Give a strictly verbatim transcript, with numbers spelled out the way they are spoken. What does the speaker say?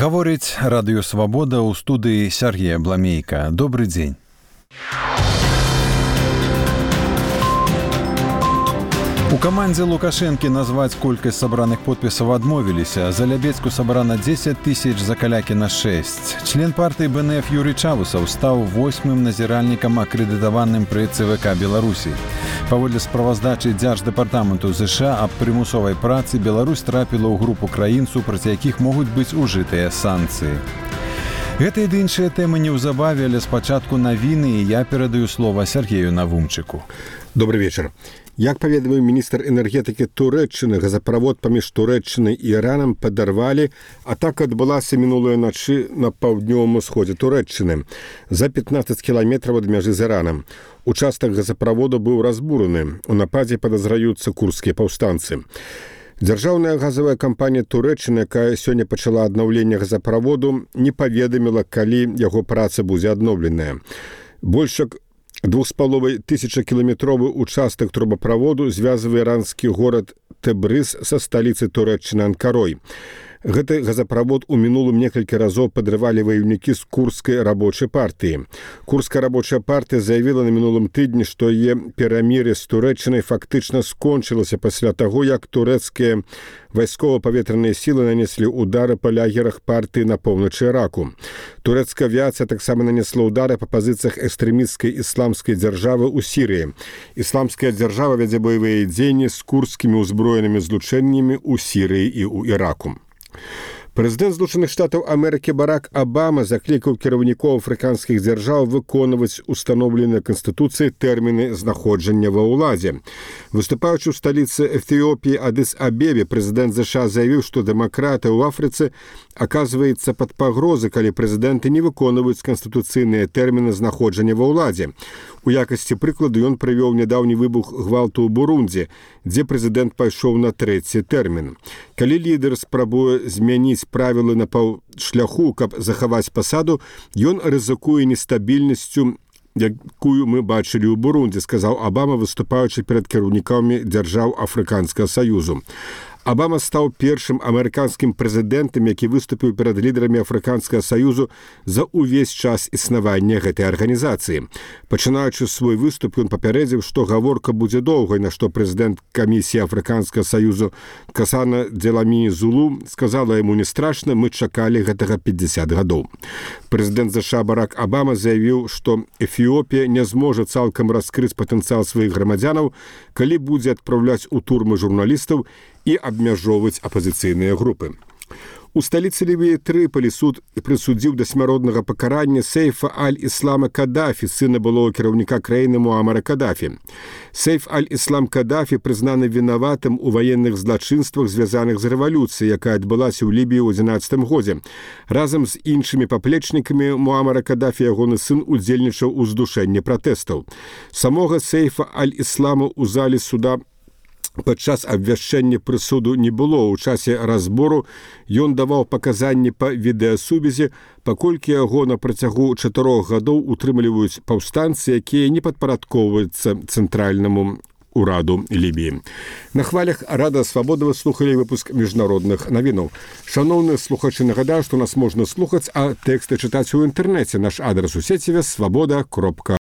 Гаворыць радыё «Свабода» ў студыі Сергея Бламейка. Добры дзень. У камандзе Лукашэнкі назваць колькасць сабраных подпісаў адмовіліся. За Лябецку сабрана дзесяць тысяч, за Калякі на шэсць. Член партыі бэ эн эф Юрый Чавусаў стаў восьмым назіральнікам акрэдытаваным пры цэ вэ ка Беларусі. Паводле справаздачы Дзярждэпартаменту ЗША аб прымусовай працы, Беларусь трапіла ў групу краін, супраць якіх могуць быць ужытыя санкцыі. Гэта і іншыя тэмы неўзабаве, але спачатку навіны, і я перадаю слова Сергею Навумчыку. Добрый вечар. Як паведаміў міністр энергетыкі Турэччыны, газаправод паміж Турэччынай і Іранам падарвалі, атака адбылася мінулай начы на паўднёвым усходзе Турэччыны, за пятнаццаць кіламетраў ад мяжы з Іранам. Участак газаправоду быў разбураны. У нападзе падазраюцца курдскія паўстанцы. Дзяржаўная газавая кампанія Турэччыны, якая сёння пачала аднаўленне газаправоду, не паведаміла, калі яго праца будзе адноўленая. Больш як двух з паловай тысячакіламетровы участак трубаправоду звязвае іранскі горад Тэбрыз са сталіцай Турэччыны Анкарой. Гэты газаправод у мінулым некалькі разоў падрывалі ваёўнікі з курдскай рабочай партыі. Курдская рабочая партыя заявіла на мінулым тыдні, што яе перамір'е з Турэччынай фактычна скончылася пасля таго, як турэцкія вайскова-паветраныя сілы нанеслі ўдары па лагерах партыі на поўначы Іраку. Турэцкая авіяцыя таксама нанесла ўдары па пазіцыях экстрэмісцкай ісламскай дзяржавы ў Сірыі. Ісламская дзяржава вядзе баявыя дзеянні з курдскімі ўзброенымі злучэннямі ў Сірыі і ў Іраку. Прэзідэнт Злучаных Штатаў Амерыкі Барак Абама заклікаў кіраўнікоў афрыканскіх дзяржаў выконваць устаноўленыя Канстытуцыяй тэрміны знаходжання ва ўладзе. Выступаючы ў сталіцы Эфіопіі Адыс-Абебе, прэзідэнт ЗША заявіў, што дэмакратыя ў Афрыцы аказваецца пад пагрозай, калі прэзідэнты не выконваюць канстытуцыйныя тэрміны знаходжання ва ўладзе. У якасці прыкладу ён прывёў нядаўні выбух гвалту ў Бурундзі, дзе прэзідэнт пайшоў на трэці тэрмін. Калі лідар спрабуе змяніць правілы на паўшляху, каб захаваць пасаду, ён рызыкуе нестабільнасцю, якую мы бачылі ў Бурундзі, сказаў Абама, выступаючы перад кіраўнікамі дзяржаў Афрыканскага саюзу. Абама стаў першым амерыканскім прэзідэнтам, які выступіў перад лідарамі Афрыканскага саюзу за ўвесь час існавання гэтай арганізацыі. Пачынаючы свой выступ, ён папярэдзіў, што гаворка будзе доўгай, на што прэзідэнт камісіі Афрыканскага саюзу Касана Дзеламіні Зулу сказала яму: «Не страшна, мы чакалі гэтага пятьдесят гадоў». Прэзідэнт ЗША Барак Абама заявіў, што Эфіопія не зможа цалкам раскрыць патэнцыял сваіх грамадзянаў, калі будзе адпраўляць у турмы журналістаў і абмяжоўваць апазіцыйныя групы. У сталіцы Лівіі Трыполі суд прысудзіў да смяротнага пакарання Сейфа аль-Іслама Кадафі, сына былога кіраўніка краіны Муамара Кадафі. Сейф аль-Іслам Кадафі прызнаны вінаватым у ваенных злачынствах, звязаных з рэвалюцыяй, якая адбылася ў Лібіі ў адзінаццатым годзе. Разам з іншымі паплечнікамі Муамара Кадафі ягоны сын удзельнічаў у здушэнні пратэстаў. Самога Сейфа аль-Іслама ў залі суда падчас абвяшчэння прысуду не было. У часе разбору ён даваў паказанні па відэасувязі, паколькі яго на працягу чатырох гадоў утрымліваюць паўстанцы, якія не падпарадкоўваюцца цэнтральнаму ураду Лібіі. На хвалях Радыё Свабода вы слухалі выпуск міжнародных навінаў. Шаноўныя слухачы, нагадаю, што нас можна слухаць, а тэксты чытаць у інтэрнэце. Наш адрас у сеціве свабода кропка